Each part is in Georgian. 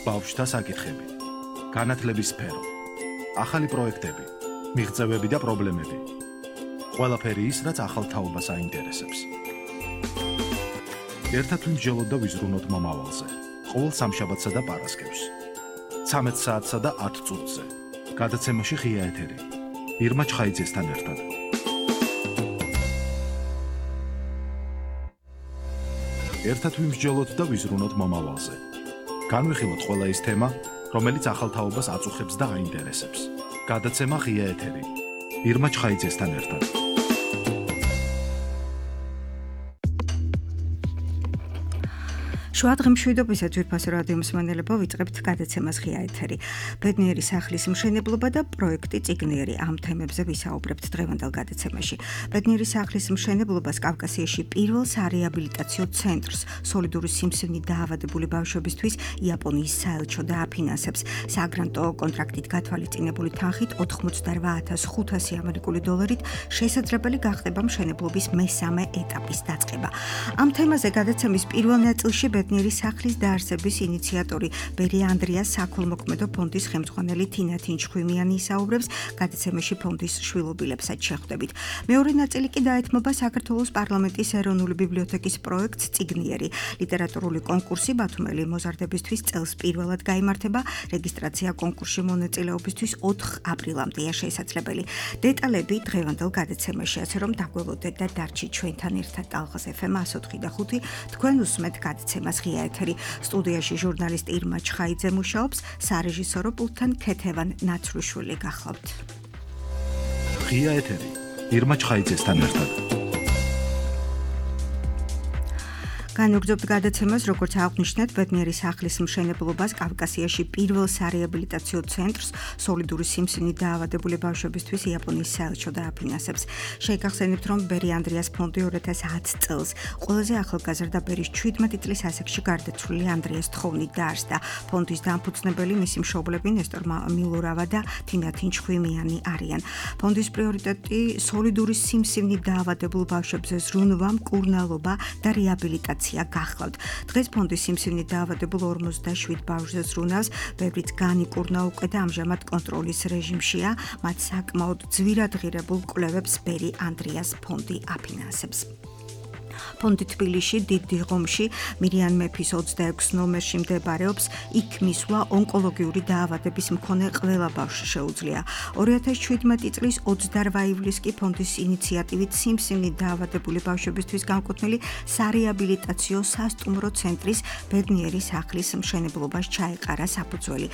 ბავშვთა საკითხები, განათლების სფერო, ახალი პროექტები, მიღწევები და პრობლემები. ყველაფერი ის, რაც ახალ თაობას აინტერესებს. ერთად ვიმსჯელოთ და ვიზრუნოთ მომავალზე. ყოველ სამშაბათსა და პარასკევს. 13 საათსა და 10 წუთზე. გადაცემაში ღია ეთერი. ირმა ჩხაიძესთან ერთად. ერთად ვიმსჯელოთ და ვიზრუნოთ მომავალზე. განვიხილოთ ყველა ის თემა, რომელიც ახალ თაობას აწუხებს და აინტერესებს. გადაცემა ღია ეთერი. ირმა ჩხაიძესთან ერთად. შუადღემშვიდობისა ძვირფასო რადიო მსმენელებო, ვიწყებთ გადაცემას ღია ეთერი. ბედნიერი სახლის მშენებლობა და პროექტი წიგნიერი, ამ თემებზე ვისაუბრებთ დღევანდელ გადაცემაში. ბედნიერი სახლის მშენებლობას კავკასიაში პირველ სარეაბილიტაციო ცენტრს, სოლიდური სიმსივნით დაავადებული ბავშვებისთვის იაპონიის საელჩო დააფინანსებს. საგრანტო კონტრაქტით გათვალისწინებული თანხით 88,500 ამერიკული დოლარით შესაძლებელი გახდება მშენებლობის მესამე ეტაპის დაწყება. ამ თემაზე გადაცემის პირველ ნაწილში ბედნიერი სახლის დაარსების ინიციატორი ბერი ანდრიას საქველმოქმედო ფონდის ხელმძღვანელი თინა თინჩხვიმიანი ისაუბრებს, გადაცემაში ფონდის შვილობილებსაც შეხვდებით. მეორე ნაწილი კი დაეთმობა საქართველოს პარლამენტის ეროვნული ბიბლიოთეკის პროექტს წიგნიერი. ლიტერატურული კონკურსი ბათუმელი მოზარდებისთვის წელს პირველად გაიმართება, რეგისტრაცია კონკურსში მონაწილეობისთვის 4 აპრილამდეა შესაძლებელი. დეტალები დღევანდელ გადაცემაში, ასე რომ დაგველოდეთ და დარჩით ჩვენთან ერთად ტალღას FM 104.5. თქვენ უსმენთ გადაცემას ღია ეთერი. სტუდიაში ჟურნალისტ ირმა ჩხაიძე მუშაობს, სარეჟისორო პულტთან ქეთევან ნაცრუშვილი გახლავთ. ღია ეთერი. ირმა ჩხაიძესთან ერთად. განვგრძობთ გადაცემას, როგორც აღნიშნეთ, ბედნიერი სახლის მშენებლობას კავკასიაში პირველ სარეაბილიტაციო ცენტრს, სოლიდური სიმსივნით დაავადებული ბავშვებისთვის იაპონიის საელჩო დააფინანსებს. შეგახსენებთ, რომ ბერი ანდრიას ფონდი 2010 წელს ყველაზე ახალგაზრდა ბერის 17 წლის ასაკში გარდაცვლილი ანდრიას თხოვნით დაარსდა. ფონდის დამფუძნებელი მისი მშობლები ნესტორ მილურავა და თინა თინჩხვიმიანი არიან. ფონდის პრიორიტეტი სოლიდური სიმსივნით დაავადებულ ბავშვებზე ზრუნვა, მკურნალობა და რეაბილიტაცია გახლავთ. დღეს ფონდის სიმსივნით დაავადებულ 57 ბავშვზე ზრუნავს, ბევრიც განიკურნა უკვე და ამჟამად კონტროლის რეჟიმშია, მათ საკმაოდ ძვირად ღირებულ კვლევებს ბერი ანდრიას ფონდი აფინანსებს. ფონდი თბილისში, დიდ დიღომში, მირიან მეფის 26 ნომერში მდებარეობს, იქ მისვლა ონკოლოგიური დაავადების მქონე ყველა ბავშვს შეუძლია. 2017 წლის 28 ივლისს კი ფონდის ინიციატივით სიმსივნით დაავადებული ბავშვებისთვის განკუთვნილი სარეაბილიტაციო სასტუმრო ცენტრის ბედნიერი სახლის მშენებლობას ჩაეყარა საფუძველი.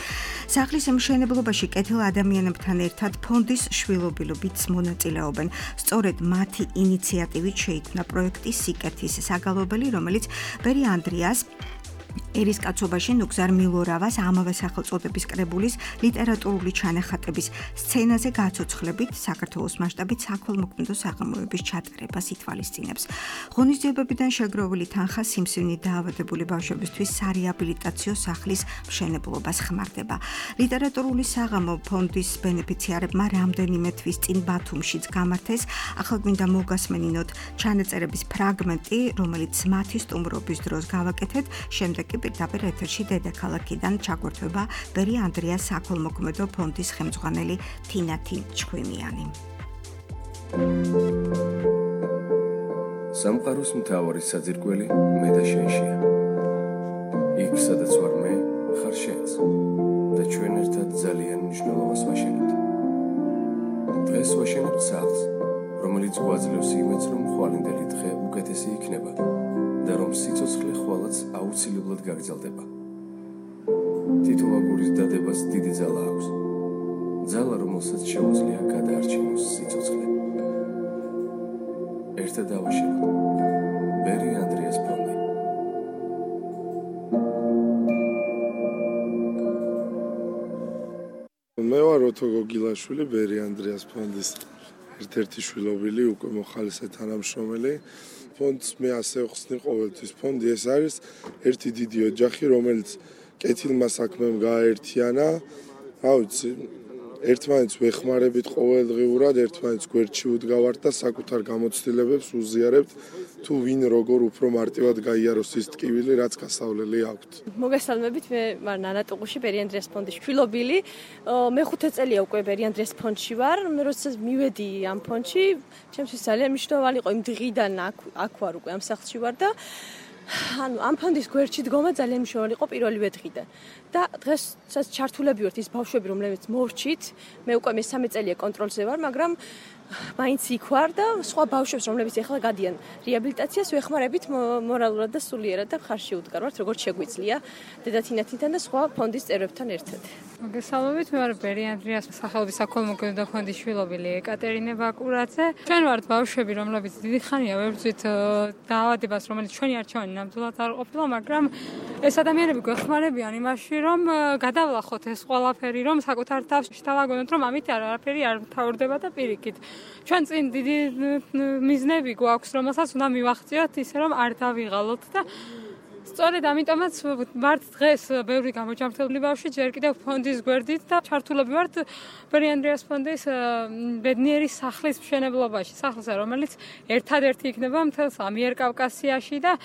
სახლის მშენებლობაში კეთილ ადამიანებთან ერთად ფონდის შვილობილობიც მონაწილეობენ. სწორედ მათი ინიციატივით შეიქმნა პროექტი სიკეთის საგალობელი, რომელიც ბერი ანდრიას ერისკაცობაში ნუგზარ მილურავას ამავე სახელწოდების კრებულის ლიტერატურული ჩანახატების სცენაზე გაცოცხლებით საქართველოს მასშტაბით საქველმოქმედო საღამოების ჩატარებას ითვალისწინებს. ღონისძიებებიდან შეგროვილი თანხა სიმსივნით დაავადებული ბავშვებისთვის სარეაბილიტაციო სახლის მშენებლობას ხმარდება. ლიტერატურული საღამო ფონდის ბენეფიციარებმა რამდენიმე თვის წინ ბათუმშიც გამართეს, ახლა გვინდა მოგასმენინოთ ჩანაწერების ფრაგმენტი, რომელიც მათი სტუმრობის დროს გავაკეთეთ, შემდეგ კი პირდაპირ ეთერში დედაქალაქიდან ჩაგვერთვება ბერი ანდრიას საქველმოქმედო ფონდის ხელმძღვანელი თინა თინჩხვიმიანი. სამყაროს მთავარი საძირკველი მე და შენშია. იქ სადაც ვარ მე, ხარ შენც და ჩვენ ერთად ძალიან მნიშვნელოვანს ვაშენებთ. დღეს ვაშენებთ სახლს, რომელიც გვაძლევს იმედს, რომ ხვალინდელი დღე უკეთესი იქნება და რომ სიცოცხლე ხვალაც აუცილებლად გაგრძელდება. თითო აგურის დადებას დიდი ძალა აქვს. ძალა, რომელსაც შეუძლია გადაარჩინოს სიცოცხლე. ერთად დავაშენოთ. ბერი ანდრიას ფონდი. მე ვარ ოთო გოგილაშვილი, ბერი ანდრიას ფონდის ერთ-ერთი შვილობილი, უკვე მოხალისე თანამშრომელი. ფონდს მე ასე ვხსნი ყოველთვის. ფონდი ეს არის ერთი დიდი ოჯახი, რომელიც კეთილმა საქმემ გააერთიანა. რა ვიცი, ერთმანეთს ვეხმარებით ყოველდღიურად, ერთმანეთს გვერდში ვდგავართ და საკუთარ გამოცდილებებს უზიარებთ, თუ ვინ როგორ უფრო მარტივად გაიაროს ის ტკივილი, რაც გასავლელი აქვთ. მოგესალმებით, მე ვარ ნანა ტუღუში, ბერიანდრიას ფონდის შვილობილი. მე-5 წელია უკვე ბერიანდრიას ფონდში ვარ. მე როდესაც მივედი ამ ფონდში, ჩემთვის ძალიან მნიშვნელოვანი იყო იმ დღიდან აქ ვარ უკვე ამ სახლში ვარ და ამ ფონდის გვერდში დგომა ძალიან მნიშვნელოვანი იყო პირველივე დღიდან. და დღესაც ჩართულები ვართ ის ბავშვები, რომლებიც მოვრჩით. მე უკვე მე-3 წელია კონტროლზე ვარ, მაგრამ მაინც იქ ვარ და სხვა ბავშვებს, რომლებიც ახლა გადიან რეაბილიტაციას, ვეხმარებით მორალურად და სულიერად და ხარში უდგარვართ, როგორც შეგვიძლია დედათინათინთან და სხვა ფონდის წევრებთან ერთად. მოგესალმებით, მე ვარ ბერიანდრიას სახელობის საქველმოქმედო ფონდის შვილობილი ეკატერინე ბაკურაძე. ჩვენ ვართ ბავშვები, რომლებიც დიდი ხანია ვებრძვით დაავადებას, რომელიც ჩვენი არჩევანი ნამდვილად არ ყოფილა, მაგრამ ეს ადამიანები გვეხმარებიან იმაში, რომ გადავლახოთ ეს ყველაფერი, რომ საკუთარ თავს შევაგონოთ, რომ ამით არაფერი არ მთავრდება და პირიქით. ჩვენ წინ დიდი მიზნები გვაქვს, რომელსაც უნდა მივახციოთ ისე, რომ არ დავიღალოთ და სწორედ ამიტომაც ვართ დღეს ბევრი გამოჯამრთელებული ბავშვი ჯერ კიდევ ფონდის გვერდით და ჩართულები ვართ ბერიანდრიას ფონდის ბედნიერი სახლის მშენებლობაში, სახლზე, რომელიც ერთადერთი იქნება მთელს ამიერკავკასიაში და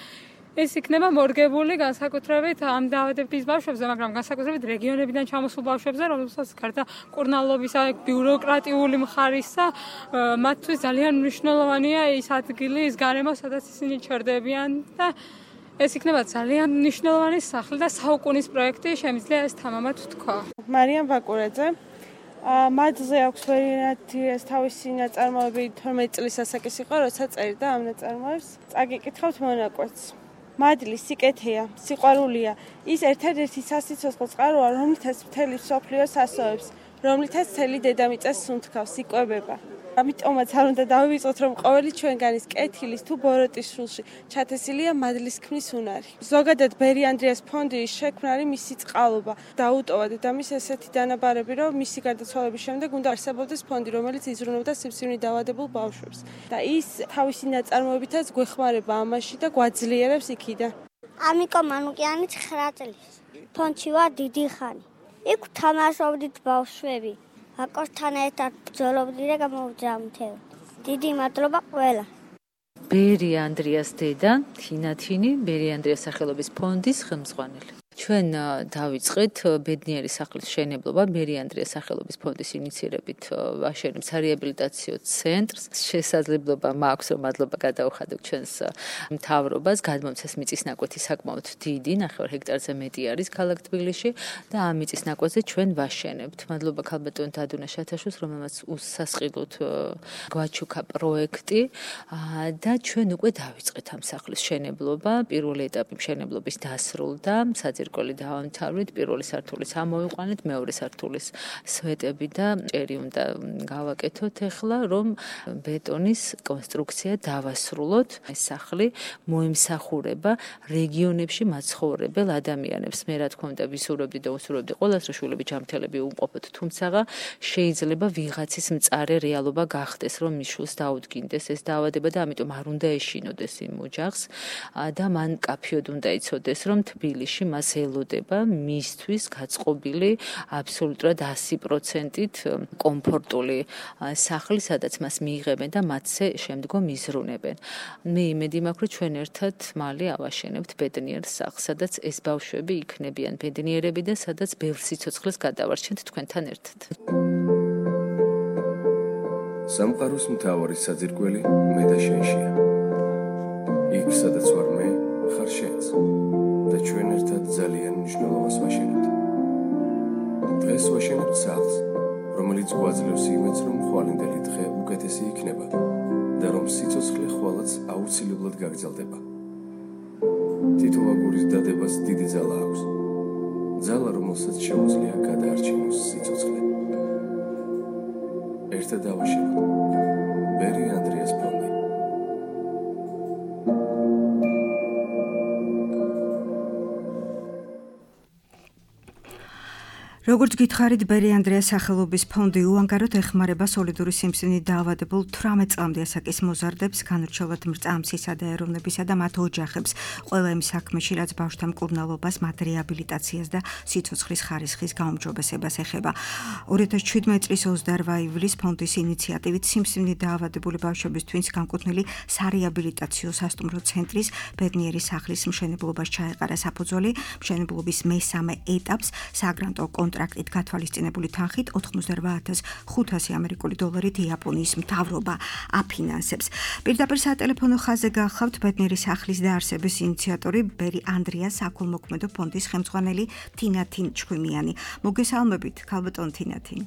ეს იქნება მორგებული განსაკუთრებით ამ დაავადების ბავშვებზე, მაგრამ განსაკუთრებით რეგიონებიდან ჩამოსულ ბავშვებზე, რომელსაც გარდა კურნალობისა, ბიუროკრატიული მხარისა, მათთვის ძალიან მნიშვნელოვანია ის ადგილი, ის გარემო, სადაც ისინი ჩერდებიან და ეს იქნება ძალიან მნიშვნელოვანი სახლი და საუკუნის პროექტი, შემიძლია ეს თამამად ვთქვა. მარიამ ბაკურაძე. მადლზე აქვს ბერიანდრიას თავისი ნაწარმოები 12 წლის ასაკის იყო, როცა წერდა ამ ნაწარმოებს. წაგიკითხავთ მონაკვეთს. მადლი სიკეთეა, სიყვარულია. ის ერთადერთი სასიცოცხლო წყაროა, რომლითაც მთელი მსოფლიო ასოებს, რომლითაც მთელი დედამიწა სუნთქავს, იკვებება. ამიტომაც არ უნდა დავივიწყოთ, რომ ყოველი ჩვენგანის კეთილის თუ ბოროტის სულში ჩათესილია მადლის ქმნის უნარი. ზოგადად ბერიანდრიას ფონდის შექმნა არის მისი წყალობა. დაუტოვა დედამის ესეთი დანაბარები, რომ მისი გარდაცვალების შემდეგ უნდა არსებობდეს ფონდი, რომელიც იზრუნავდა სიმსივნით დაავადებულ ბავშვებს. და ის თავისი ნაწარმოებითაც გვეხმარება ამაში და გვაძლიერებს იქიდან. ამიკო მანუკიანი 9 წლის. ფონდში ვარ დიდი ხანი. იქ თამაშობდით ბავშვები. აკორთან ერთად ბრძოლობდი და გამოვჯამრთელდი. დიდი მადლობა ყველა. ბერიანდრიას დედა, თინათინი, ბერიანდრიას სახელობის ფონდის ხელმძღვანელი. ჩვენ დავიწყეთ ბედნიერი სახლის მშენებლობა ბერიანდრიას სახელობის ფონდის ინიცირებით ვაშენებ სარეაბილიტაციო ცენტრს. შესაძლებლობა მაქვს, რომ მადლობა გადაუხადო ჩვენს მთავრობას, გადმომცეს მიწისნაკვეთი საკმაოდ დიდი, 9 ჰექტარზე მეტი არის ქალაქ თბილისში და ამ მიწისნაკვეთზე ჩვენ ვაშენებთ. მადლობა ქალბატონ დადუნა შათაშვილს, რომელმაც უსასყიდლოდ გვაჩუქა პროექტი და ჩვენ უკვე დავიწყეთ ამ სახლის მშენებლობა. პირველი ეტაპი მშენებლობის დასრულდა, საძირკველი დავამთავრეთ, პირველი სართულის ამოვიყვანეთ, მეორე სართულის სვეტები და ჭერი უნდა გავაკეთოთ ახლა, რომ ბეტონის კონსტრუქცია დავასრულოთ. ეს სახლი მოემსახურება რეგიონებში მაცხოვრებელ ადამიანებს. მე რა თქმა უნდა ვისურვებდი და უსურვებდი ყველას, რომ შვილები ჯანმრთელები უყოფოთ, თუმცა შეიძლება ვიღაცის მწარე რეალობა გახდეს, რომ მის შვილს დაუდგინდეს ეს დაავადება და ამიტომ არ უნდა ეშინოდეს იმ ოჯახს და მან კაფიოდ უნდა იცოდეს, რომ თბილისში მას ელოდება მისთვის გაწყობილი აბსოლუტურად 100%-ით კომფორტული სახლი, სადაც მას მიიღებენ და მათზე შემდგომ იზრუნებენ. მე იმედი მაქვს, რომ ჩვენ ერთად მალე ავაშენებთ ბედნიერ სახლს, სადაც ეს ბავშვები იქნებიან ბედნიერები და სადაც ბევრ სიცოცხლეს გადავარჩენთ თქვენთან ერთად. სამყაროს მთავარი საძირკველი მე და შენშია. იქ სადაც ვარ მე, ხარ შენც. და ჩვენ ერთად ძალიან მნიშვნელოვანს ვაშენებთ. დღეს ვაშენებთ სახლს, რომელიც გვაძლევს იმედს, რომ ხვალინდელი დღე უკეთესი იქნება და რომ სიცოცხლე ხვალაც აუცილებლად გაგრძელდება. თითო აგურის დადებას დიდი ძალა აქვს. ძალა, რომელსაც შეუძლია გადაარჩინოს სიცოცხლე. ერთად დავაშენოთ. ბერიანდრიას ფონდი. როგორც გითხარით, ბერი ანდრეას სახელობის ფონდი უანგაროდ ეხმარება სოლიდური სიმსივნით დაავადებულ 18 წლამდე ასაკის მოზარდებს, განურჩევლად მრწამსისა და ეროვნებისა და მათ ოჯახებს, ყველა იმ საქმეში, რაც ბავშვთა მკურნალობას, მათ რეაბილიტაციას და სიცოცხლის ხარისხის გაუმჯობესებას ეხება. 2017 წლის 28 ივლისს ფონდის ინიციატივით სიმსივნით დაავადებული ბავშვებისთვის განკუთვნილი სარეაბილიტაციო სასტუმრო ცენტრის ბედნიერი სახლის მშენებლობას ჩაეყარა საფუძველი. მშენებლობის მესამე ეტაპს საგრანტო კონტრაქტით გათვალისწინებული თანხით 88,500 ამერიკული დოლარით იაპონიის მთავრობა აფინანსებს. პირდაპირ სატელეფონო ხაზზე გახლავთ ბედნიერი სახლის დაარსების ინიციატორი ბერი ანდრეას საქველმოქმედო ფონდის ხელმძღვანელი თინათინ ჩხვიმიანი. მოგესალმებით, ქალბატონ თინათინ.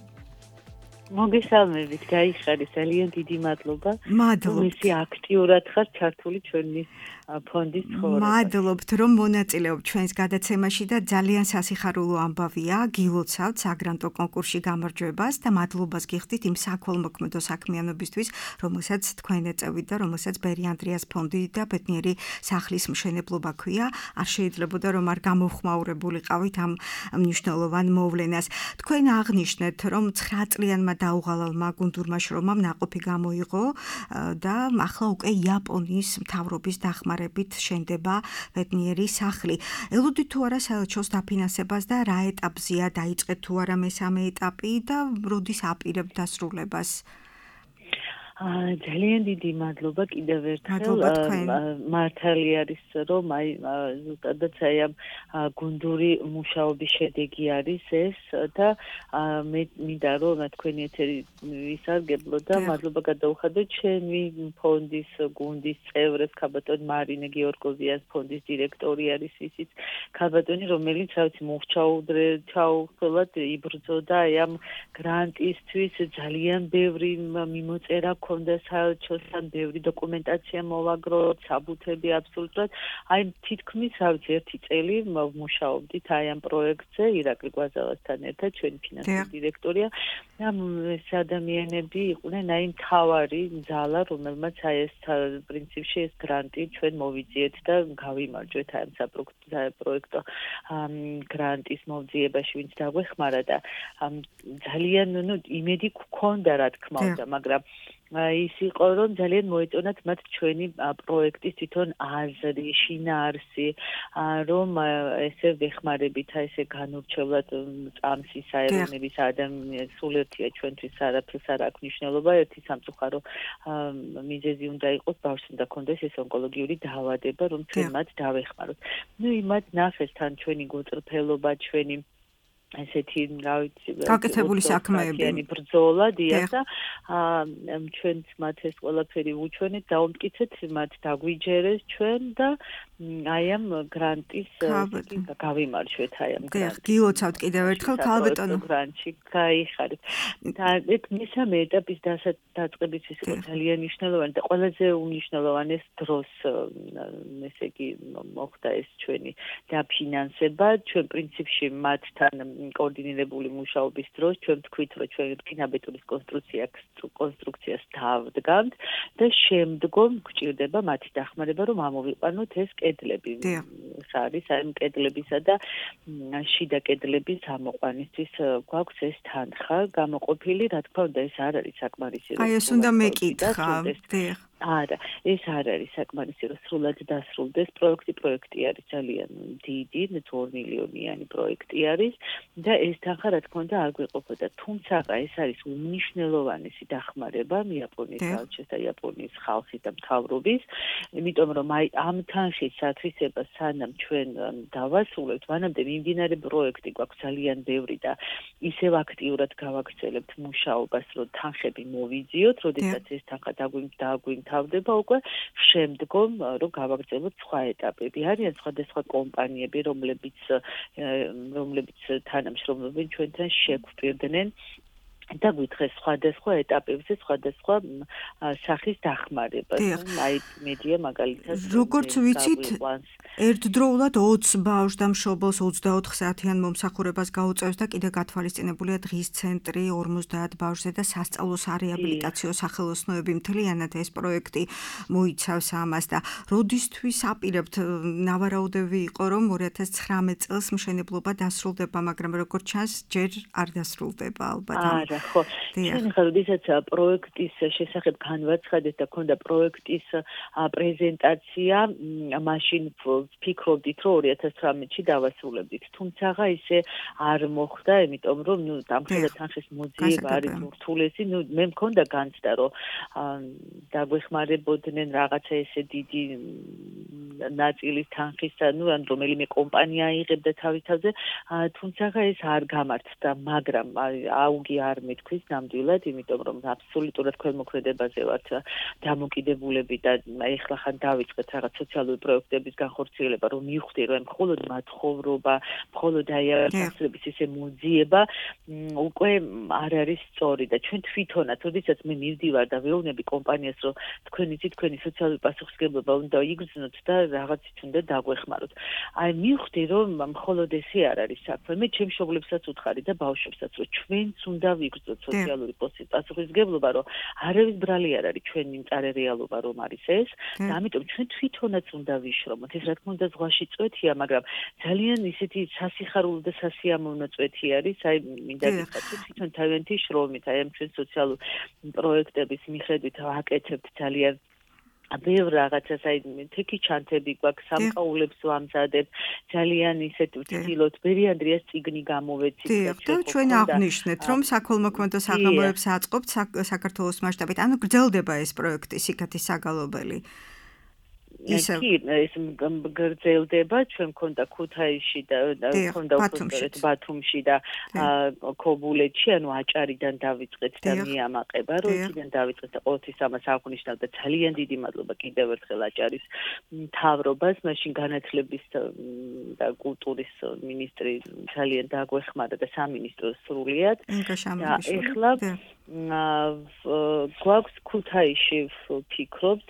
მოგესალმებით, გაიხარის, ძალიან დიდი მადლობა. მადლობთ. ისე აქტიურად ხარ ჩართული ჩვენი ფონდის ცხოვრებაში. მადლობთ, რომ მონაწილეობთ ჩვენს გადაცემაში და ძალიან სასიხარულო ამბავია. გილოცავთ საგრანტო კონკურსში გამარჯვებას და მადლობას გიხდით იმ საქველმოქმედო საქმიანობისთვის, რომელსაც თქვენ ეწევით და რომელსაც ბერი ანდრეას ფონდი და ბედნიერი სახლის მშენებლობა ქვია. არ შეიძლებოდა რომ არ გამოვხმაურებულიყავით ამ მნიშვნელოვან მოვლენას. თქვენ აღნიშნეთ, რომ 9 წლიანმა დაუღალავმა გუნდურმა შრომამ ნაყოფი გამოიღო და ახლა უკვე იაპონიის მთავრობის დახმარებით შენდება ბედნიერი სახლი. ელოდით თუ არა საელჩოს დაფინანსებას და რა ეტაპზეა, დაიწყეთ თუ არა მესამე ეტაპი და როდის აპირებთ დასრულებას? ძალიან დიდი მადლობა კიდევ ერთხელ. მართალი არის, რომ ზუსტადაც ამ გუნდური მუშაობის შედეგი არის ეს და მე მინდა რომ თქვენი ეთერი ვისარგებლო და მადლობა გადაუხადო ჩემი ფონდის გუნდის წევრებს, ქალბატონ მარინე გეორგოვიას, ფონდის დირექტორი არის ისიც ქალბატონი, რომელიც ჩაუხვალად იბრძოდა ამ გრანტისთვის, ძალიან ბევრი მიმოწერა ქონდა საელჩოსთან, ბევრი დოკუმენტაცია მოვაგროთ, საბუთები აბსოლუტურად. თითქმის 1 წელი მუშაობდით ამ პროექტზე ირაკლი გვაზავასთან ერთად, ჩვენი ფინანსური დირექტორია. ეს ადამიანები იყვნენ მთავარი ძალა, რომელმაც ეს პრინციპში ეს გრანტი ჩვენ მოვიძიეთ და გავიმარჯვეთ ამ საპროექტო გრანტის მოვძიებაში, ვინც დაგვეხმარა და ძალიან იმედი გქონდა, რა თქმა უნდა, მაგრამ ის იყო, რომ ძალიან მოეწონათ მათ ჩვენი პროექტის თვითონ აზრი, შინაარსი, რომ ესე ვეხმარებით, ესე განურჩევლად წამსის აერონების ადამიანის სულეთია ჩვენთვის არაფერს არ აქვს მნიშვნელობა, ერთი სამწუხარო მიზეზი უნდა იყოს, ბავშვს უნდა ქონდეს ეს ონკოლოგიური დაავადება, რომ ჩვენ მათ დავეხმაროთ. იმათ ნახეს თან ჩვენი გოწრფელობა, ჩვენი ესეთი გაკეთებული საქმეები ბრძოლა დიახ და ჩვენც მათ ეს ყველაფერი უჩვენეთ, დაუმტკიცეთ, მათ დაგვიჯერეს ჩვენ და ამ გრანტის გავიმარჯვეთ ამ გრანტს. გილოცავთ კიდევ ერთხელ ქალბატონო გრანტში გაიხარეთ. და ეს მესამე ეტაპის დაწყების ის იყო ძალიან მნიშვნელოვანი და ყველაზე უმნიშვნელოვანეს დროს ესე იგი მოხდა ეს ჩვენი დაფინანსება, ჩვენ პრინციპში მათთან კოორდინირებული მუშაობის დროს ჩვენ ვთქვით, რომ ჩვენ რკინაბეტონის კონსტრუქციას დავდგამთ და შემდგომ გვჭირდება მათი დახმარება, რომ ამოვიყვანოთ ეს კედლები. არის ამ კედლებისა და შიდა კედლების ამოყვანისთვის გვაქვს ეს თანხა გამოყოფილი, რა თქმა უნდა, ეს არ არის საკმარისი. ეს უნდა მეკითხა. არა, ეს არ არის საკმარისი, რომ სრულად დასრულდეს პროექტი არის ძალიან დიდი, 2 მილიონიანი პროექტი არის და ეს თანხა რა თქმა უნდა არ გვეყოფოდა. თუმცა ეს არის უმნიშვნელოვანესი დახმარება იაპონიის საელჩოს და იაპონიის ხალხის და მთავრობის, იმიტომ რომ ამ თანხის ათვისებას სანამ ჩვენ დავასრულებთ, მანამდე მიმდინარე პროექტი გვაქვს ძალიან ბევრი და ისევ აქტიურად გავაგრძელებთ მუშაობას, რომ თანხები მოვიძიოთ, როდესაც ეს თანხა დაგვიმთავრდება უკვე შემდგომ რომ გავაგრძელოთ სხვა ეტაპები. არიან სხვადასხვა კომპანიები, რომლებიც თანამშრომლობენ ჩვენთან, შეგვპირდნენ და გითხეს სხვადასხვა ეტაპებზე სხვადასხვა სახის დახმარებას. აი მედია მაგალითად როგორც ვიცით, ერთდროულად 20 ბავშვს და მშობელს 24 საათიან მომსახურებას გაუწევს და კიდე გათვალისწინებულია დღის ცენტრი 50 ბავშვზე და სასწავლო სარეაბილიტაციო სახელოსნოები. მთლიანად ეს პროექტი მოიცავს ამას და როდისთვის აპირებთ, ნავარაუდები იყო, რომ 2019 წელს მშენებლობა დასრულდება, მაგრამ როგორც ჩანს, ჯერ არ დასრულდება ალბათ. ხო, ჩვენ ხალხისაც პროექტის შესახებ განვაცხადეთ და ქონდა პროექტის პრეზენტაცია, მაშინ ვფიქრობდით, რომ 2018-ში დავასრულებდით. თუმცა ისე არ მოხდა, იმიტომ რომ დამხედრეთ თანხის მოძიება არის ურთულესი. მე მქონდა განცდა, რომ დაგვეხმარებოდნენ რაღაცა ესე დიდი ნაწილის თანხისა, ან რომელიმე კომპანია იღებდა თავის თავზე, თუმცა ეს არ გამართდა, მაგრამ აუგი არ მეთქვის ნამდვილად, იმიტომ რომ აბსოლუტურად ქვემოქმედებაზე ვართ დამოკიდებულები და ეხლა ხან დავიწყეთ რაღაც სოციალური პროექტების განხორციელება, რომ მივხვდი, რომ მხოლოდ მათხოვრობა, მხოლოდ აი აღსრების ესე მოძიება უკვე არ არის სწორი და ჩვენ თვითონაც, როდესაც მე მივდივარ და ვეუბნები კომპანიას, რომ თქვენი სოციალური პასუხისმგებლობა უნდა იგრძნოთ და რაღაცით უნდა დაგვეხმაროთ. აი მივხვდი, რომ მხოლოდ ესე არ არის საქმე. მე ჩემ მშობლებსაც უთხარი და ბავშვებსაც, რომ ჩვენც უნდა ვიგრძნოთ სოციალური პასუხისმგებლობა, რომ არავის ბრალი არ არის ჩვენი მწარე რეალობა რომ არის ეს და ამიტომ ჩვენ თვითონაც უნდა ვიშრომოთ. ეს რა თქმა უნდა ზღვაში წვეთია, მაგრამ ძალიან ისეთი სასიხარულო და სასიამოვნო წვეთი არის. აი მინდა გითხრათ, თვითონ თავიანთი შრომით, აი ამ ჩვენ სოციალურ პროექტების მიხედვით ვაკეთებთ ძალიან ბევრ რაღაცას, აი თექი ჩანთები გვაქვს, სამკაულებს ვამზადებთ, ძალიან ისეთ ვცდილობთ, ბერიანდრიას წიგნი გამოვეცით და ჩვენ აღნიშნეთ, რომ საქველმოქმედო საღამოებს აწყობთ საქართველოს მასშტაბით. ანუ გრძელდება ეს პროექტი სიკეთის საგალობელი. ეს გრძელდება, ჩვენ მქონდა ქუთაისში და მქონდა უბრალოდ ბათუმში და ქობულეთში, ანუ აჭარიდან დავიწყეთ და მიამაყება, რომ იქიდან დავიწყეთ და ყოველთვის ამას აღვნიშნავ და ძალიან დიდი მადლობა კიდევ ერთხელ აჭარის მთავრობას, მაშინ განათლების და კულტურის მინისტრი ძალიან დაგვეხმარა და სამინისტრო სრულიად. და ეხლა გვაქვს ქუთაისში ვფიქრობთ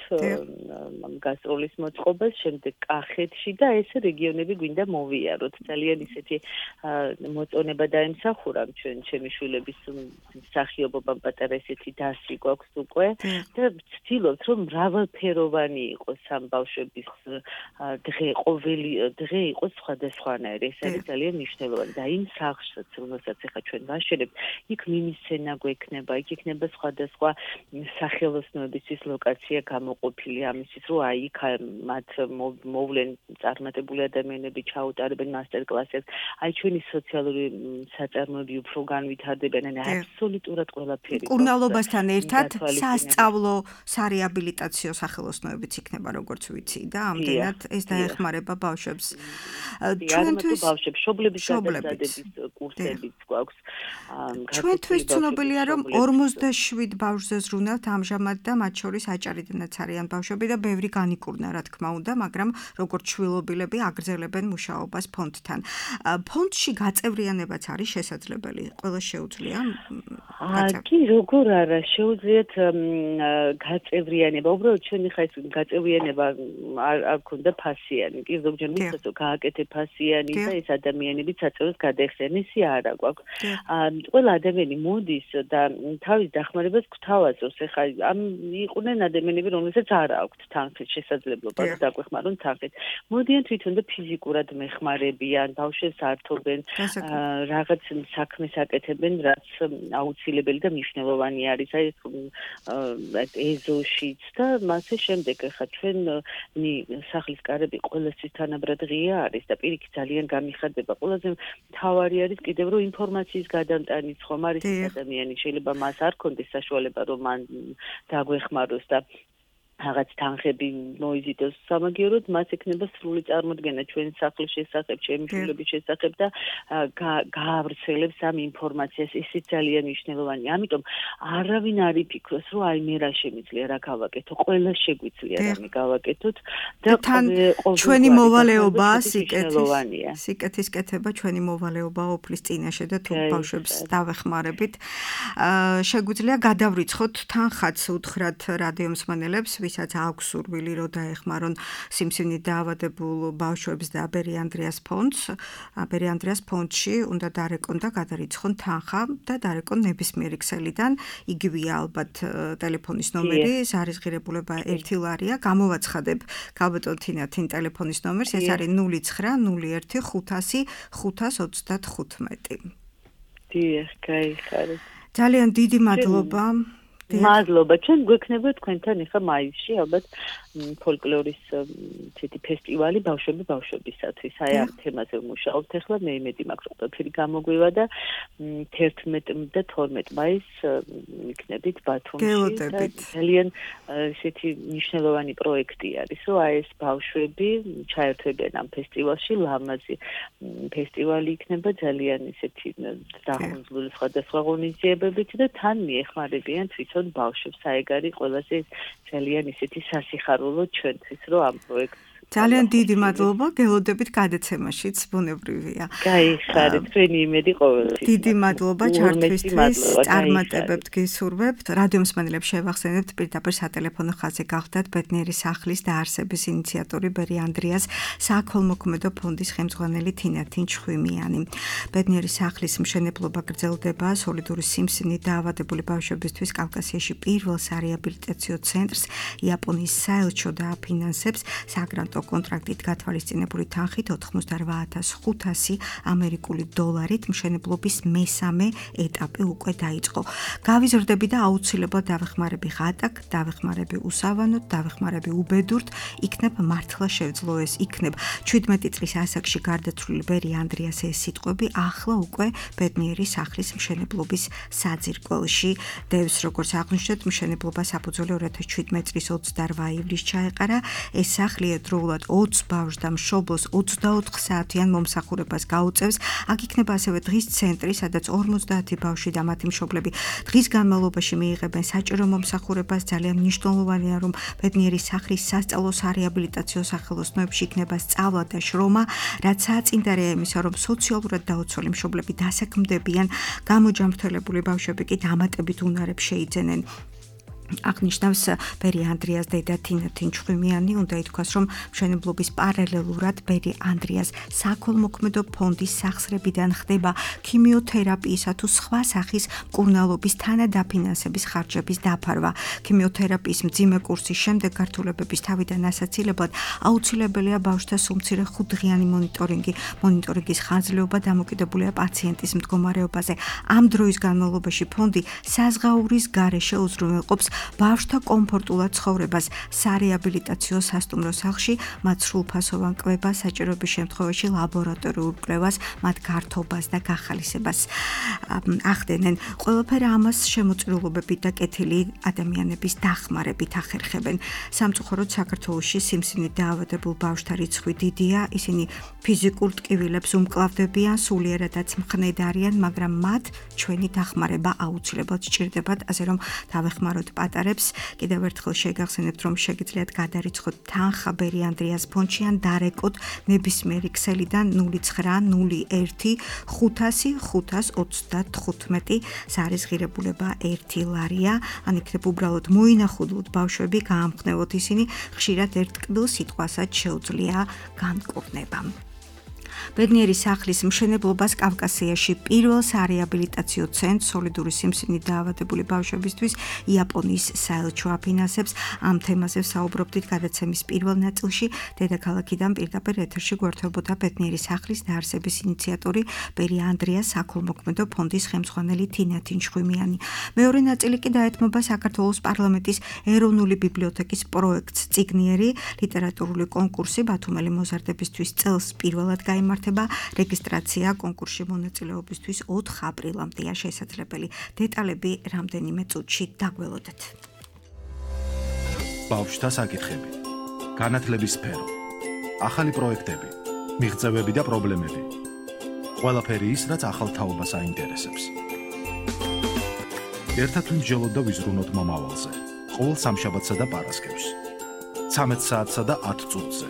გასტროლის მოწყობას, შემდეგ კახეთში და ეს რეგიონები გვინდა მოვიაროთ. ძალიან ისეთი მოწონება დაემსახურა ჩემი შვილების მსახიობობამ პატარა ესეთი დასი გვაქვს უკვე და ვცდილობთ, რომ მრავალფეროვანი იყოს ამ ბავშვების დღე, ყოველი დღე იყოს სხვადასხვანაირი. ეს არის ძალიან მნიშვნელოვანი და იმ სახლსაც, რომელსაც ახლა ჩვენ ვაშენებთ, იქ მინისცენა გვექნება, იქ იქნება სხვადასხვა სახელოსნოებისთვის ლოკაცია გამოყოფილი ამისთვის, რომ აი იქ მათ მოვლენ წარმატებული ადამიანები ჩაუტარებენ მასტერკლასებს, აი ჩვენი სოციალური საწარმოები უფრო განვითარდებიან, ან აბსოლუტურად ყველაფერი. კურნალობასთან ერთად სასწავლო სარეაბილიტაციო სახელოსნოებიც იქნება, როგორც ვიცი და ამდენად ეს დაეხმარება ბავშვებს. ჩვენთვის ბავშვებს შობლების გადასადების კურსებიც გვაქვს. ჩვენთვის ცნობილია, რომ 47 ბავშვზე ზრუნავთ ამჟამად და მათ შორის აჭარიდანაც არიან ბავშვები და ბევრი განიკურნა, რა თქმა უნდა, მაგრამ როგორც შვილობილები აგრძელებენ მუშაობას ფონდთან. ფონდში გაწევრიანებაც არის შესაძლებელი, ყველა შეუძლია? კი, როგორ არა, შეუძლიათ გაწევრიანება. უბრალოდ ჩვენი ხა ეს გაწევრიანება არ ქონდა ფასიანი. კი, ზოგჯერ მისცეს რომ გააკეთე ფასიანი და ეს ადამიანები საწევროს გადაეხსენ, ისი არა გვაქვს. ყველა ადამიანი მოდის და თავის დახმარებას გვთავაზობს. ეხლა ამ იყვნენ ადამიანები, რომელსაც არ აქვთ თანხის შესაძლებლობა დაგვეხმარონ თანხით. მოდიან თვითონ და ფიზიკურად მეხმარებიან, ბავშვებს ართობენ, რაღაც საქმეს აკეთებენ, რაც აუცილებელი და მნიშვნელოვანი არის. აი ეზოშიც და მასე შემდეგ ეხლა ჩვენი სახლის კარები ყველასთვის თანაბრად ღია არის და პირიქით ძალიან გამიხარდება. ყველაზე მთავარი არის კიდევ რომ ინფორმაციის გადამტანიც ხომ არის ადამიანი შეიძლება მას არ ქონდეს საშუალება რომ მან დაგვეხმაროს და რაღაც თანხები მოიზიდოს სამაგიეროდ, მას ექნება სრული წარმოდგენა ჩვენ სახლის შესახებ, ჩემი შვილების შესახებ და გაავრცელებს ამ ინფორმაციას. ისიც ძალიან მნიშვნელოვანია. ამიტომ არავინ არ იფიქროს, რომ აი მე რა შემიძლია რა გავაკეთო, ყველა შეგვიძლია რამე გავაკეთოთ და ჩვენი მოვალეობა სიკეთის კეთება ჩვენი მოვალეობა ოფლის წინაშე და თუ ბავშვებს დავეხმარებით. შეგვიძლია გადავრიცხოთ თანხაც უთხრათ რადიო მსმენელებს, ვისაც აქვს სურვილი რომ დაეხმარონ სიმსივნით დაავადებულ ბავშვებს და ბერი ანდრიას ფონდს. ბერი ანდრიას ფონდში უნდა დარეკონ და გადარიცხონ თანხა და დარეკონ ნებისმიერი ქსელიდან. იგივეა ალბათ ტელეფონის ნომერი, ზარისღირებულება 1 ლარია. გამოვაცხადებ ქალბატონ თინათინ ტელეფონის ნომერს, ეს არის 0901 500 535. დიახ, გაიხარეთ. ძალიან დიდი მადლობა. მადლობა. ჩვენ გვექნება თქვენთან ახლა მაისში ალბათ ფოლკლორის ცეთი ფესტივალი ბავშვებისათვის. აი ამ თემაზე ვმუშაობთ ახლა, მე იმედი მაქვს ყველაფერი გამოგვივა და 11 და 12 მაისს იქნებით ბათუმში. ძალიან ესეთი მნიშვნელოვანი პროექტი არის, რომ აი ეს ბავშვები ჩაერთვებიან ამ ფესტივალში, ლამაზი ფესტივალი იქნება ძალიან ესეთი დახუნძლული სხვადასხვა ღონისძიებებით და თან მიეხმარებიან თვითონ ბავშვებს. აი ეგ არის ყველაზე ძალიან ისეთი სასიხარულო ჩვენთვის, რომ ამ პროექტს ძალიან დიდი მადლობა, გელოდებით გადაცემაშიც, ბუნებრივია. გაიხარეთ, თქვენი იმედი ყოველთვის. დიდი მადლობა ჩართვისთვის, წარმატებებთ გისურვებთ. რადიო მსმენელებს შევახსენებთ, პირდაპირ სატელეფონო ხაზზე გახდათ ბედნიერი სახლის დაარსების ინიციატორი ბერი ანდრიას საქველმოქმედო ფონდის ხელმძღვანელი თინათინ ჩხვიმიანი. ბედნიერი სახლის მშენებლობა გრძელდება სოლიდური სიმსივნით დაავადებული ბავშვებისთვის კავკასიაში პირველ სარეაბილიტაციო ცენტრს იაპონიის საელჩო დააფინანსებს საგრანტო კონტრაქტით გათვალისწინებული თანხით 88,500 ამერიკული დოლარით მშენებლობის მესამე ეტაპი უკვე დაიწყო. გავიზრდები და აუცილებლად დავეხმარები ღატაკ, დავეხმარები უსავანოდ, დავეხმარები უბედურთ, იქნებ მართლა შევძლო ეს, იქნებ 17 წლის ასაკში გარდაცვლილი ბერი ანდრიას ეს სიტყვები ახლა უკვე ბედნიერი სახლის მშენებლობის საძირკველში დევს, როგორც აღნიშნეთ, მშენებლობა საფუძველი 2017 წლის 28 ივლისს ჩაეყარა. ეს სახლი ერთდროულად 20 ბავშვს და მშობლს 24 საათიან მომსახურებას გაუწევს. აქ იქნება ასევე დღის ცენტრი, სადაც 50 ბავშვი და მათი მშობლები დღის განმავლობაში მიიღებენ საჭირო მომსახურებას. ძალიან მნიშვნელოვანია, რომ ბედნიერი სახლის სასწავლო სარეაბილიტაციო სახელოსნოებში იქნება სწავლა და შრომა, რაც საწინდარეა იმისა, რომ სოციალურად დაუცველი მშობლები დასაქმდებიან, გამოჯანმრთელებული ბავშვები კი დამატებით უნარებს შეიძენენ. აღნიშნავს ბერი ანდრიას დედა თინათინ ჩხვიმიანი, უნდა ითქვას, რომ მშენებლობის პარალელურად ბერი ანდრიას საქველმოქმედო ფონდის სახსრებიდან ხდება ქიმიოთერაპიისა თუ სხვა სახის მკურნალობის თანადაფინანსების ხარჯების დაფარვა. ქიმიოთერაპიის მძიმე კურსის შემდეგ გართულებების თავიდან ასაცილებლად აუცილებელია ბავშვთა სულ-მცირე 5 დღიანი მონიტორინგის ხანძრეობა დამოკიდებულია პაციენტის მდგომარეობაზე. ამ დროის განმავლობაში ფონდი საზღაურის გარეშე უზრუნველყოფს ბავშვთა კომფორტულად ცხოვრებას სარეაბილიტაციო სასტუმრო სახლში, მათ სრულფასოვან კვებას, საჭიროების შემთხვევაში ლაბორატორიულ კვლევას, მათ გართობას და გახალისებას ახდენენ. ყველაფერი ამას შემოწირულობებით და კეთილი ადამიანების დახმარებით ახერხებენ. სამწუხაროდ საქართველოში სიმსივნით დაავადებულ ბავშვთა რიცხვი დიდია, ისინი ფიზიკურ ტკივილებს უმკლავდებიან, სულიერადაც მხნედ არიან, მაგრამ მათ ჩვენი დახმარება აუცილებლად სჭირდებათ, ასე რომ დავეხმაროთ პატარებს. კიდევ ერთხელ შეგახსენებთ, რომ შეგიძლიათ გადარიცხოთ თანხა ბერი ანდრიას ფონდში ან დარეკოთ ნებისმიერი ქსელიდან 0901 500 535. ზარისღირებულება 1 ლარია. ან იქნებ უბრალოდ მოინახულოთ ბავშვები, გაამხნევოთ ისინი, ხშირად ერთ კბილ სიტყვასაც შეუძლია განკურნება. ბედნიერი სახლის მშენებლობას კავკასიაში პირველ სარეაბილიტაციო ცენტრს სოლიდური სიმსივნით დაავადებული ბავშვებისთვის იაპონიის საელჩო აფინანსებს. ამ თემაზე საუბრობდით გადაცემის პირველ ნაწილში. დედაქალაქიდან პირდაპირ ეთერში გვერდებოდა ბედნიერი სახლის დაარსების ინიციატორი ბერი ანდრიას საქველმოქმედო ფონდის ხელმძღვანელი თინათინ ჩხვიმიანი. მეორე ნაწილი კი დაეთმობა საქართველოს პარლამენტის ეროვნული ბიბლიოთეკის პროექტს წიგნიერი ლიტერატურული კონკურსი ბათუმელი მოზარდებისთვის წელს პირველად გაიმართა. რეგისტრაცია კონკურსში მონაწილეობისთვის 4 აპრილამდეა შესაძლებელი. დეტალები რამდენიმე წუთში დაგველოდეთ. ბავშვთა საკითხები, განათლების სფერო, ახალი პროექტები, მიღწევები და პრობლემები. ყველაფერი ის, რაც ახალ თაობას აინტერესებს. ერთად ვიმსჯელოთ და ვიზრუნოთ მომავალზე. ყოველ სამშაბათსა და პარასკევს. 13 საათსა და 10 წუთზე.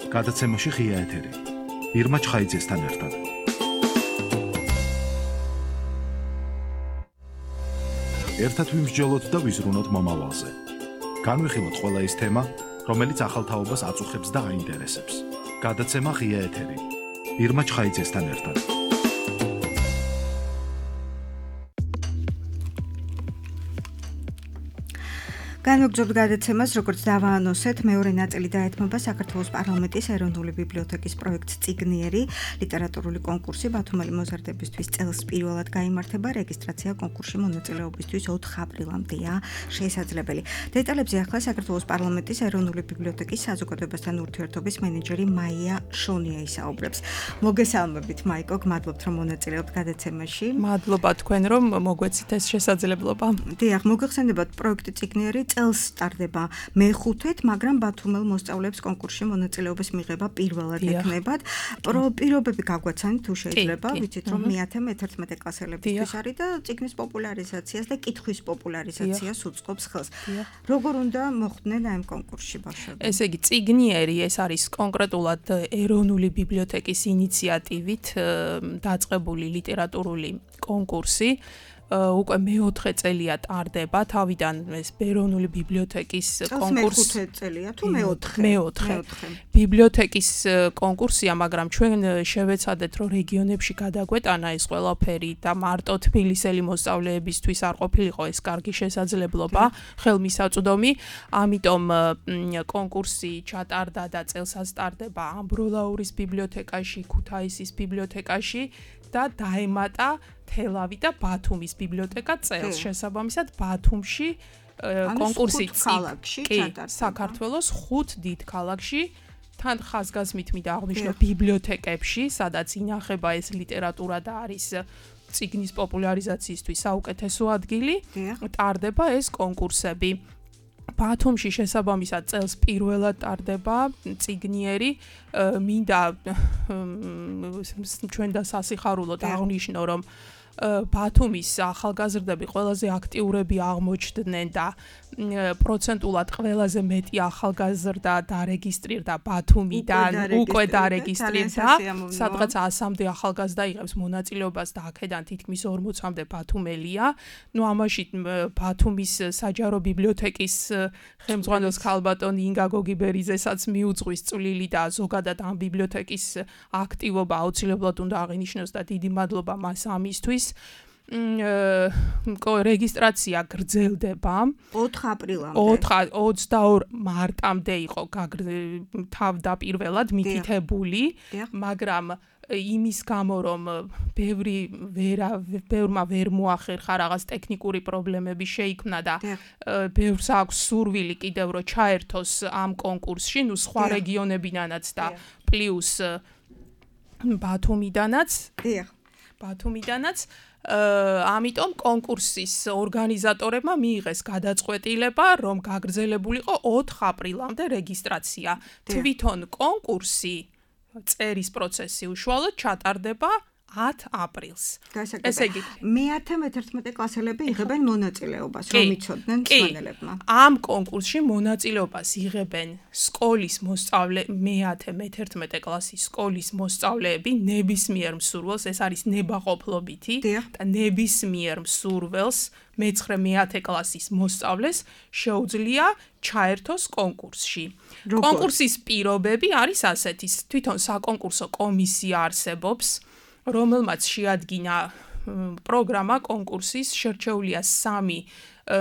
გადაცემაში ღია ეთერი. ირმა ჩხაიძესთან ერთად. ერთად ვიმსჯელოთ და ვიზრუნოთ მომავალზე. განვიხილოთ ყველა ის თემა, რომელიც ახალ თაობას აწუხებს და აინტერესებს. გადაცემა ღია ეთერი. ირმა ჩხაიძესთან ერთად. განვაგრძობთ გადაცემას, როგორც დავაანონსეთ, მეორე ნაწილი დაეთმობა საქართველოს პარლამენტის ეროვნული ბიბლიოთეკის პროექტს წიგნიერი ლიტერატურული კონკურსი ბათუმელი მოზარდებისთვის წელს პირველად გაიმართება. რეგისტრაცია კონკურსში მონაწილეობისთვის 4 აპრილამდეა შესაძლებელი. დეტალებზე ახლა საქართველოს პარლამენტის ეროვნული ბიბლიოთეკის საზოგადოებასთან ურთიერთობის მენეჯერი მაია შონია ისაუბრებს. მოგესალმებით მაიკო, გმადლობთ რომ მონაწილეობთ გადაცემაში. მადლობა თქვენ რომ მოგვეცით ეს შესაძლებლობა. დიახ, მოგეხსენებათ პროექტი წიგნიერი წელს სტარდება მე-5-ით, მაგრამ ბათუმელ მოსწავლეებს კონკურსში მონაწილეობის მიღება პირველად ექნებათ. პირობები გაგვაცანით თუ შეიძლება, ვიცით რომ მე-11 კლასელებისთვის არის და წიგნის პოპულარიზაციას და კითხვის პოპულარიზაციას უწყობს ხელს. როგორ უნდა მოხვდნენ ამ კონკურსში ბავშვები? ესე იგი, წიგნიერი ეს არის კონკრეტულად ეროვნული ბიბლიოთეკის ინიციატივით დაწყებული ლიტერატურული კონკურსი. უკვე მე-4 წელია ტარდება, თავიდან ეს ეროვნული ბიბლიოთეკის კონკურსი. მე-5 წელია თუ მე-4? მე-4. ბიბლიოთეკის კონკურსია, მაგრამ ჩვენ შევეცადეთ, რომ რეგიონებში გადაგვეტანა ეს ყველაფერი და მარტო თბილისელი მოსწავლეებისთვის არ ყოფილიყო ეს კარგი შესაძლებლობა, ხელმისაწვდომი. ამიტომ კონკურსი ჩატარდა და წელსაც ტარდება ამბროლაურის ბიბლიოთეკაში, ქუთაისის ბიბლიოთეკაში და დაემატა თელავი და ბათუმის ბიბლიოთეკა წელს. შესაბამისად, ბათუმში კონკურსი ჩატარდება. საქართველოს 5 დიდ ქალაქში, თან ხაზგასმით მინდა აღვნიშნო ბიბლიოთეკებში, სადაც ინახება ეს ლიტერატურა და არის წიგნის პოპულარიზაციისთვის საუკეთესო ადგილი, ტარდება ეს კონკურსები. ბათუმში შესაბამისად წელს პირველად ტარდება წიგნიერი. მინდა ჩვენ და სასიხარულოდ აღვნიშნო, რომ ბათუმის ახალგაზრდები ყველაზე აქტიურები აღმოჩნდნენ და პროცენტულად ყველაზე მეტი ახალგაზრდა დარეგისტრირდა ბათუმიდან, უკვე დარეგისტრირდა, სადღაც 100-მდე ახალგაზრდა იღებს მონაწილეობას და აქედან თითქმის 40-მდე ბათუმელია. ამაში ბათუმის საჯარო ბიბლიოთეკის ხელმძღვანელს ქალბატონი ინგა გოგიბერიძესაც მიუძღვის წვლილი და ზოგადად ამ ბიბლიოთეკის აქტივობა აუცილებლად უნდა აღინიშნოს და დიდი მადლობა მას ამისთვის. რეგისტრაცია გრძელდება 4 აპრილამდე. 22 მარტამდე იყო თავდაპირველად მითითებული, მაგრამ იმის გამო რომ ბევრმა ვერ მოახერხა რაღაც ტექნიკური პრობლემები შეიქმნა და ბევრს აქვს სურვილი კიდევ რომ ჩაერთოს ამ კონკურსში, სხვა რეგიონებიდანაც და პლუს ბათუმიდანაც. ამიტომ კონკურსის ორგანიზატორებმა მიიღეს გადაწყვეტილება, რომ გაგრძელებულიყო 4 აპრილამდე რეგისტრაცია. თვითონ კონკურსი წერის პროცესი უშუალოდ ჩატარდება 10 აპრილს. ესე იგი, მე-11 კლასელები იღებენ მონაწილეობას, რომ იცოდნენ მსმენელებმა. ამ კონკურსში მონაწილეობას იღებენ სკოლის მე-11 კლასის სკოლის მოსწავლეები ნებისმიერ მსურველს, ეს არის ნებაყოფლობითი და ნებისმიერ მსურველს მე-9 კლასის მოსწავლეს შეუძლია ჩაერთოს კონკურსში. კონკურსის პირობები არის ასეთი: თვითონ საკონკურსო კომისია არსებობს, რომელმაც შეადგინა პროგრამა კონკურსის, შერჩეულია 3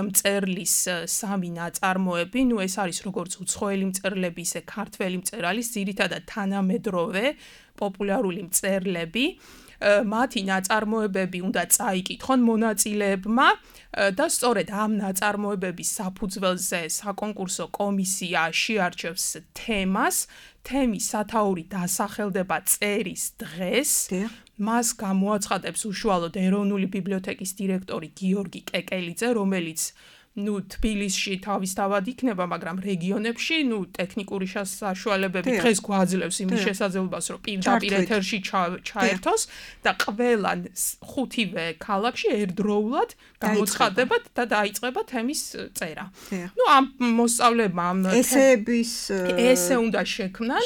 მწერლის 3 ნაწარმოები. ეს არის როგორც უცხოელი მწერლები, ისე ქართველი მწერალის, ძირითადად თანამედროვე პოპულარული მწერლები. მათი ნაწარმოებები უნდა წაიკითხონ მონაწილეებმა და სწორედ ამ ნაწარმოებების საფუძველზე საკონკურსო კომისია შეარჩევს თემას. თემის სათაური დასახელდება წერის დღეს. მას გამოაცხადებს უშუალოდ ეროვნული ბიბლიოთეკის დირექტორი გიორგი კეკელიძე, რომელიც თბილისში თავისთავად იქნება, მაგრამ რეგიონებში, ტექნიკური საშუალებები დღეს გვაძლევს იმის შესაძლებლობას, რომ პირდაპირ ეთერში ჩაერთოს და ყველა ხუთივე ქალაქში ერთდროულად გამოცხადებათ და დაიწყება თემის წერა. ამ მოსწავლებმა ესე უნდა შექმნან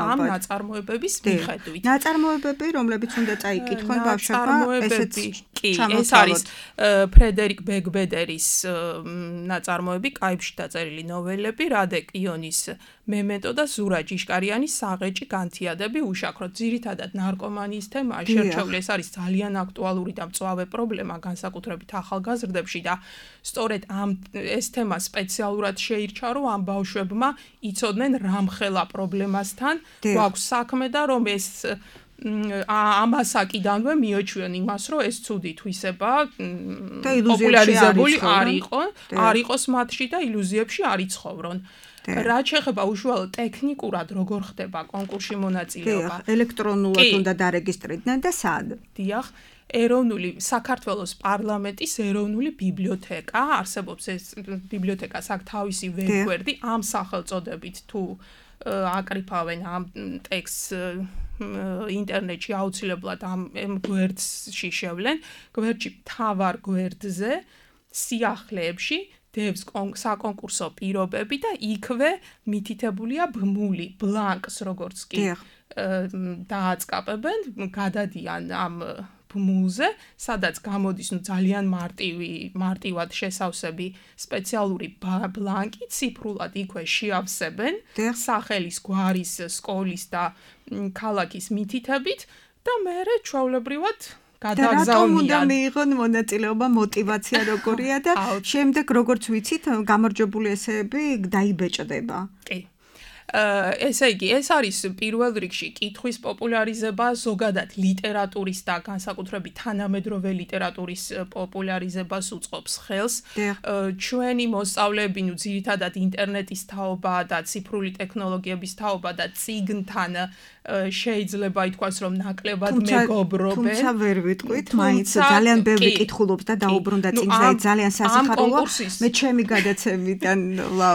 ამ ნაწარმოებების მიხედვით. ნაწარმოებები, რომლებიც უნდა წაიკითხონ ბავშვებმა, ესეც ეს არის ფრედერიკ ბეგბედერის ნაწარმოები, კაიფში დაწერილი ნოველები, რადეკ იონის მემენტო და ზურა ჯიშკარიანის საღეჭი განთიადები უშაქროთ. ძირითადად ნარკომანიის თემაა შერჩეული, ეს არის ძალიან აქტუალური და მწვავე პრობლემა, განსაკუთრებით ახალგაზრდებში და სწორედ ეს თემა სპეციალურად შეირჩა, რომ ამ ბავშვებმა იცოდნენ რამხელა პრობლემასთან გვაქვს საქმე და რომ ეს ამასაკიდანვე მიოჩვენ იმას, რომ ეს ცუდი თვისება პოპულარიზებული არ იყოს მათში და ილუზიებში არ იცხოვრონ. რაც შეეხება უშუალოდ ტექნიკურად როგორ ხდება კონკურსში მონაწილეობა. ელექტრონულად უნდა დარეგისტრირდნენ და სად? დიახ, საქართველოს პარლამენტის ეროვნული ბიბლიოთეკა არსებობს, ეს ბიბლიოთეკას აქვს თავისი ვებგვერდი, ამ სახელწოდებით თუ აკრიფავენ ამ ტექსტს ინტერნეტში აუცილებლად ამ გვერდში შევლენ, გვერდში მთავარ გვერდზე სიახლეებში დევს საკონკურსო პირობები და იქვე მითითებულია ბმული ბლანკს, როგორც კი დააწყაპებენ, გადადიან ამ ბმულზე, სადაც გამოდის ძალიან მარტივად შესავსები სპეციალური ბლანკი, ციფრულად იქვე შეავსებენ სახელის, გვარის, სკოლის და ქალაქის მითითებით და მერე ჩვეულებრივად გადაგზავნიან. რატომ უნდა მიიღონ მონაწილეობა, мотиваცია როგორია და შემდეგ როგორც ვიცით, გამარჯვებული ესეები დაიბეჭდება. კი. ესე იგი, ეს არის პირველ რიგში კითხვის პოპულარიზება, ზოგადად ლიტერატურის და განსაკუთრებით თანამედროვე ლიტერატურის პოპულარიზებას უწყობს ხელს. ჩვენი მოსწავლეები ძირითადად ინტერნეტის თაობა და ციფრული ტექნოლოგიების თაობა და წიგნთან შეიძლება ითქვას, რომ ნაკლებად მეგობრობენ. თუმცა ვერ ვიტყვით, მაინც ძალიან ბევრი კითხულობს და დაუბრუნდა წიგნზე, ძალიან სასიხარულოა. მე ჩემი გადაცემიდან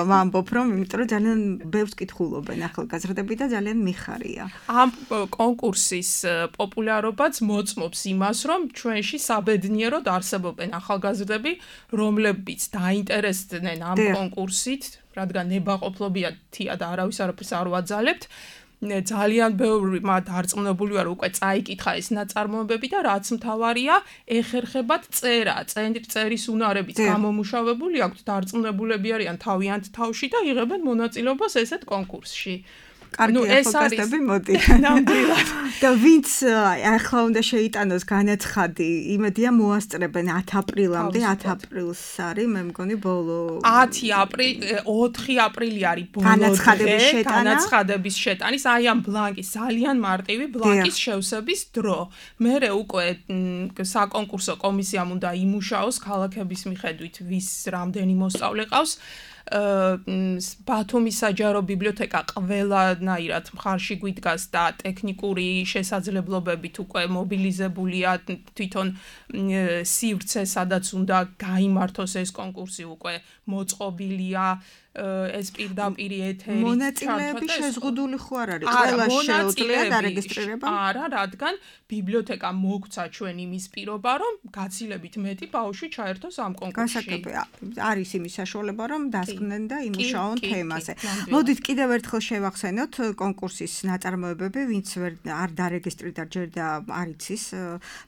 ვამბობ, რომ იმიტომ რომ ძალიან ბევრს კითხულობენ ახალგაზრდები და ძალიან მიხარია. ამ კონკურსის პოპულარობაც მოწმობს იმას, რომ ჩვენში საბედნიეროდ არსებობენ ახალგაზრდები, რომლებიც დაინტერესდნენ ამ კონკურსით, რადგან ნებაყოფლობითია და არავის არაფერს არ ვაძალებთ. ძალიან ბევრი დარწმუნებული ვარ, უკვე წაიკითხა ეს ნაწარმოებები და რაც მთავარია, ეხერხებათ წერა, წერის უნარებიც გამომუშავებული აქვთ, დარწმუნებულები არიან თავიანთ თავში და იღებენ მონაწილეობას ესეთ კონკურსში. კარგი ახალგაზრდები მოდი. ნამდვილად. და ვინც ახლა უნდა შეიტანოს განაცხადი, იმედია მოასწრებენ 10 აპრილამდე, 10 ապრილს არის, მე მგონი ბოლო 4 აპრილი არის ბოლო განაცხადების შეტანის, აი ამ ბლანკის, ძალიან მარტივი ბლანკის შევსების დრო. მერე უკვე საკონკურსო კომისიამ უნდა იმუშაოს ქალაქების მიხედვით, ვის რამდენი მოსწავლე ყავს. ბათუმის საჯარო ბიბლიოთეკა ყველანაირად მხარში გვიდგას და ტექნიკური შესაძლებლობებით უკვე მობილიზებულია თვითონ სივრცე, სადაც უნდა გაიმართოს ეს კონკურსი უკვე მოწყობილია ეს პირდაპირ ეთერი. მონაწილეები შეზღუდული ხო არ არის? ყველა შეუძლია დარეგისტრირება? არა, რადგან ბიბლიოთეკა მოგცა ჩვენ იმის პირობა, რომ გაცილებით მეტი ბავშვი ჩაერთოს ამ კონკურსში. არის იმის საშუალება, რომ დასკნენ და იმუშაონ თემაზე. მოდით კიდევ ერთხელ შევახსენოთ კონკურსის ნაწარმოებები, ვინც არ დარეგისტრირდა ჯერ და არ იცის,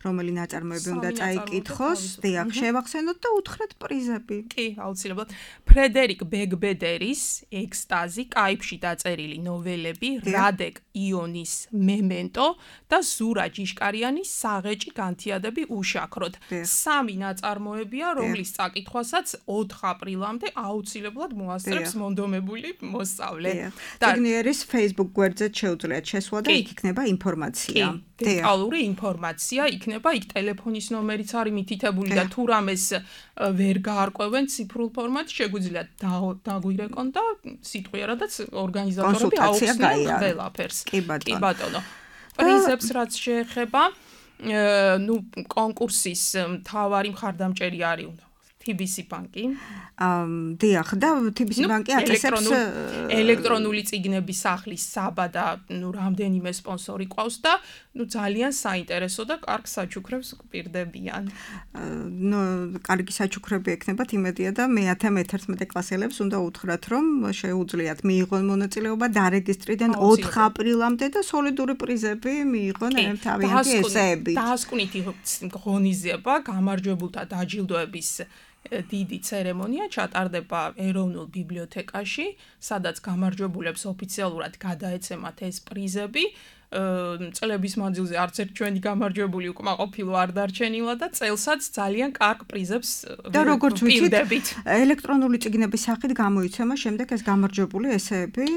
რომელი ნაწარმოები უნდა წაიკითხოს, დიახ, შევახსენოთ და უთხრეთ პრიზები. კი, აუცილებლად. ფრედერიკ ბეგბედერის ექსტაზი, კაიფში დაწერილი ნოველები, რადეკ იონის მემენტო და ზურა ჯიშკარიანის საღეჭი განთიადები უშაქროთ. 3 ნაწარმოებია, რომლის წაკითხვასაც 4 აპრილამდე აუცილებლად მოასწრებს მონდომებული მოსწავლე. ციგნიერის Facebook გვერდზე შეუძლიათ შესვლა და იქ იქნება ინფორმაცია. დეტალური ინფორმაცია იქნება, იქ ტელეფონის ნომერიც არის მითითებული და თუ რამეს ვერ გაარკვევენ ციფრულ ფორმატში, შეგვიძლია დაგვირეკონ და სიტყვიერადაც ორგანიზატორები აუხსნიან ყველაფერს. კი ბატონო. პრიზებს რაც შეეხება, კონკურსის მთავარი მხარდამჭერი არის TBC ბანკი. დიახ, და TBC ბანკი აწესებს ელექტრონული წიგნების სახლის საბა და რამდენიმე სპონსორი ყავს და ძალიან საინტერესო და კარგ საჩუქრებს გვპირდებიან. კარგი საჩუქრები ექნებათ იმედია და მე-11 კლასელებს უნდა უთხრათ, რომ შეუძლიათ მიიღონ მონაწილეობა დარეგისტრიდან 4 აპრილამდე და სოლიდური პრიზები მიიღონ თავიანთი ესეებით. დაასკვნითი ღონისძიება გამარჯვებულთა დაჯილდოების დიდი ცერემონია ჩატარდება ეროვნულ ბიბლიოთეკაში, სადაც გამარჯვებულებს ოფიციალურად გადაეცემათ ეს პრიზები. წლების მანძილზე არც ერთ ჩვენი გამარჯვებული უკმაყოფილო არ დარჩენილა და წელსაც ძალიან კარგ პრიზებს და როგორც ვიცით, ელექტრონული წიგნების სახით გამოიცემა შემდეგ ეს გამარჯვებული ესეები.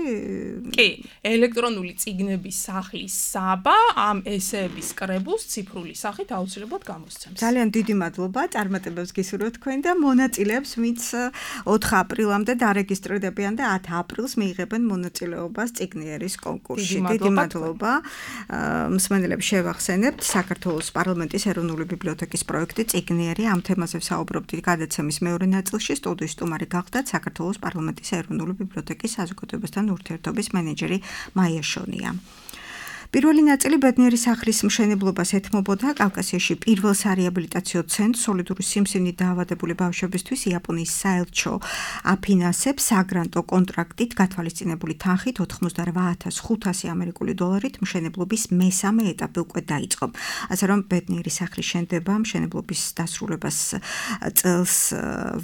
კი, ელექტრონული წიგნების სახლის საბა ამ ესეების კრებულს ციფრული სახით აუცილებლად გამოსცემს. ძალიან დიდი მადლობა, წარმატებებს გისურვებთ თქვენ და მონაწილეებს, ვინც 4 აპრილამდე დარეგისტრირდებიან და 10 აპრილს მიიღებენ მონაწილეობას წიგნიერის კონკურსში. დიდი მადლობა. მსმენელებს შევახსენებთ საქართველოს პარლამენტის ეროვნული ბიბლიოთეკის პროექტი წიგნიერი ამ თემაზე ვსაუბრობთ გადაცემის მეორე ნაწილში სტუდიის სტუმარი გახლდათ საქართველოს პარლამენტის ეროვნული ბიბლიოთეკის საზოგადოებასთან ურთიერთობის მენეჯერი მაია შონია. პირველი ნაწილი ბედნიერი სახლის მშენებლობას ეთმობოდა კავკასიაში პირველ სარეაბილიტაციო ცენტრს სოლიდური სიმსივნით დაავადებული ბავშვებისთვის იაპონიის საელჩო აფინანსებს საგრანტო კონტრაქტით გათვალისწინებული თანხით 88,500 ამერიკული დოლარით მშენებლობის მესამე ეტაპი უკვე დაიწყო. ასე რომ ბედნიერი სახლის შენდება მშენებლობის დასრულებას წელს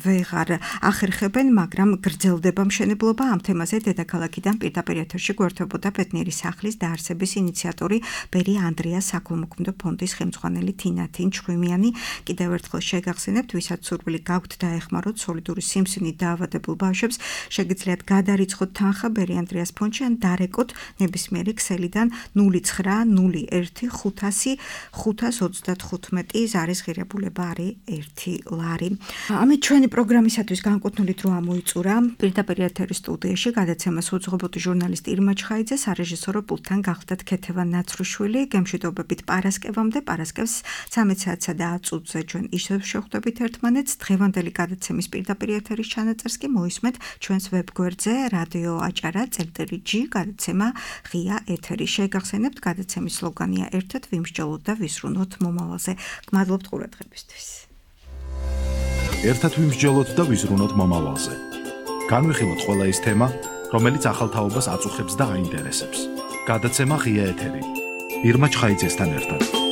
ვეღარ ახერხებენ, მაგრამ გრძელდება მშენებლობა. ამ თემაზე დედაქალაქიდან პირდაპირ ეთერში გვერდებოდა ბედნიერი სახლის დაარსების ინიციატორი ბერი ანდრიას საქველმოქმედო ფონდის ხელმძღვანელი თინათინ ჩხვიმიანი. კიდევ ერთხელ შეგახსენებთ, ვისაც სურვილი გაქვთ დაეხმაროთ სოლიდური სიმსივნით დაავადებულ ბავშვებს, შეგიძლიათ გადარიცხოთ თანხა ბერი ანდრიას ფონდში ან დარეკოთ ნებისმიერი ქსელიდან 090500 ზარის ღირებულება არის 1 ლარი. ამით ჩვენი პროგრამისათვის განკუთვნილი დრო ამოიწურა. პირდაპირ ეთერის სტუდიაში გადაცემას უძღვებოდი ჟურნალისტი ირმა ჩხაიძე, სარეჟისორო პულტთან გახლდათ ქეთევან ნაცრუშვილი. გემშვიდობებით პარასკევამდე, პარასკევს 13 საათსა და 10 წუთზე ჩვენ ისევ შევხვდებით ერთმანეთს. დღევანდელი გადაცემის პირდაპირ ეთერის ჩანაწერს კი მოისმენთ ჩვენს ვებგვერდზე რადიო აჭარა.g გადაცემა ღია ეთერი. შეგახსენებთ, გადაცემის სლოგანია ერთად ვიმსჯელოთ და ვისრუნოთ მომავალზე. გმადლობთ ყურადღებისთვის. ერთად ვიმსჯელოთ და ვიზრუნოთ მომავალზე. განვიხილოთ ყველა ის თემა, რომელიც ახალ თაობას აწუხებს და აინტერესებს. გადაცემა ღია ეთერი. ირმა ჩხაიძესთან ერთად.